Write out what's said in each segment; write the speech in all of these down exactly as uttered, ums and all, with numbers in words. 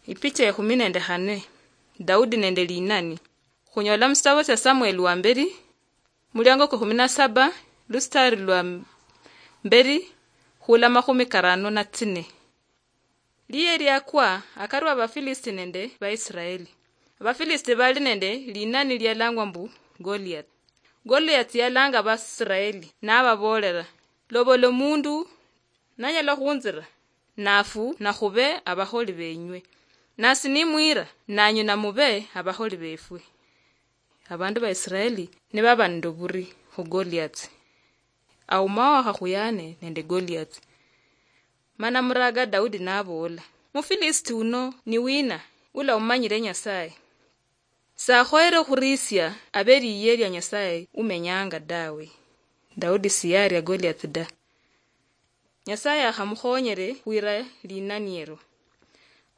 Ipicha ekhumi nende khane. Daudi nende linani. Khunyola musitabo sia Samueli wa mberi, muliango kwa kumi na saba, lusitari lwa mberi, khula makhumi karano na tsine. Liye liakwa akarwa Abafilisti nende Baisraeli. Abafilisti bali nende linani lialangwa mbu Goliath. Goliath yalanga Abaisraeli nababoolera, "Lobola omundu nanyala khunzira, nafu nakhube abakholi benywe, nasi nimwira, nanyu namube abakholi befwe." Abandu ba Israeli nibaba nende oburi khu Goliath. Aumao akhakhuyane nende Goliath. Mana muraga Daudi naboola, "Mufilisti uno ni wina ula umanyire Nyasaye? Sakhoyere okhurisia abe liye lia Nyasaye umenyanga dawe." Daudi siyaria Goliath da. Nyasaye akhamukhonyere khwira linaniero.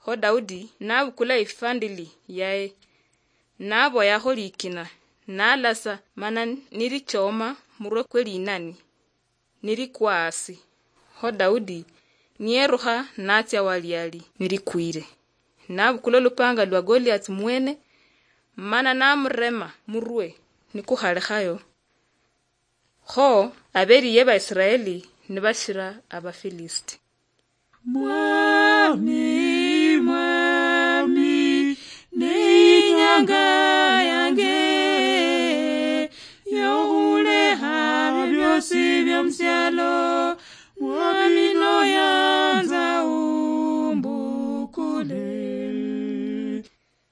Kho Daudi nabukula ifandili yaye, naboyakho likina, nalasa mana nilichoma murwe kwe linani, nilikwa asi. Kho Daudi niyerukha natsia wali ali nilikwire. Nabukula olupanga lwa Goliath mwene, mana namurema murwe nikukhalekhayo. Kho abeliye ba Israeli nibashira Abafilisti. Mwami, Mwami, ne inyanga yange yokhulekha byosi byomusyalo,